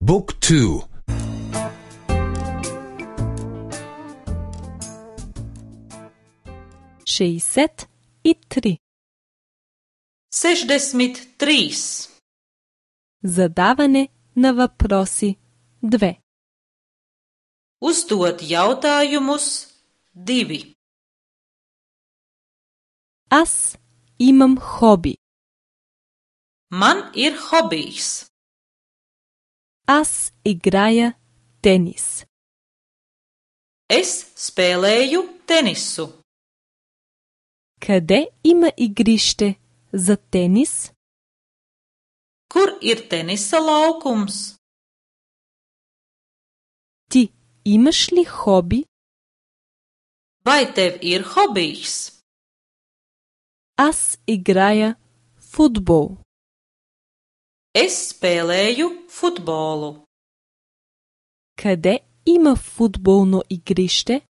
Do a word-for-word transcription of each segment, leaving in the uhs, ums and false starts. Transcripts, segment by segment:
บุ๊กทูšestdeset i tri. Sešdeset trīs. Задаване на въпроси две. Uzdot jautājumus divi. Аз имам хоби. Man ir hobijs. Аз играя тенис. Es spēlēju tenisu. Къде има игрище за тенис? Kur ir tenisa laukums? Ти имаш ли хоби? Vai tev ir hobijs? Аз играя футбол. Es spēlēju futbolu. Къде има футболно игрище?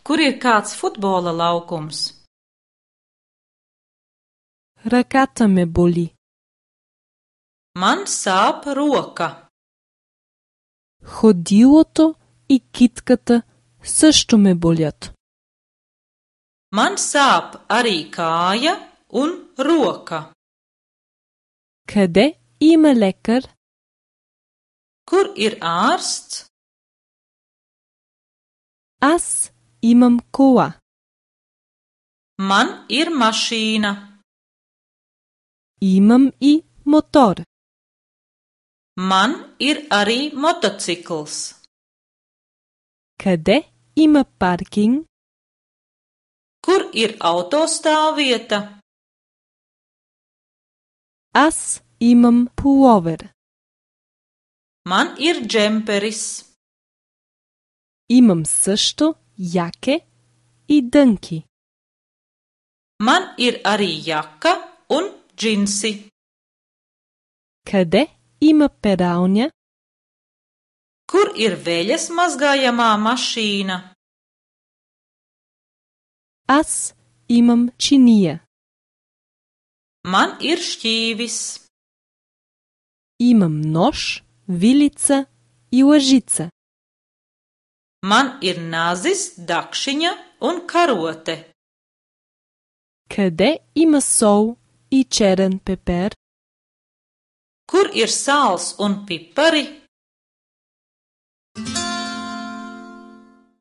Kur ir kāds futbola laukums? Ръката ме боли. Man sāp roka. Ходилото и китката също ме болят. Man sāp arī kāja un roka. Къде има лекар? Kur ir ārsts? Аз имам кола. Man ir mašīna. Имам и мотор. Man ir arī motocikls. Къде има паркинг? Kur ir autostāvvieta? Аз имам пуловер. Man ir džemperis. Имам също яке и дънки. Man ir arī jaka un džinsi. Къде има пералня? Kur ir veļas mazgājamā mašīna? Аз имам чиния. Man ir šķīvis. Имам нож, вилица и лъжица. Man ir nazis, dakšiņa un karote. Къде има сол и черен пепер? Kur ir sāls un pipari?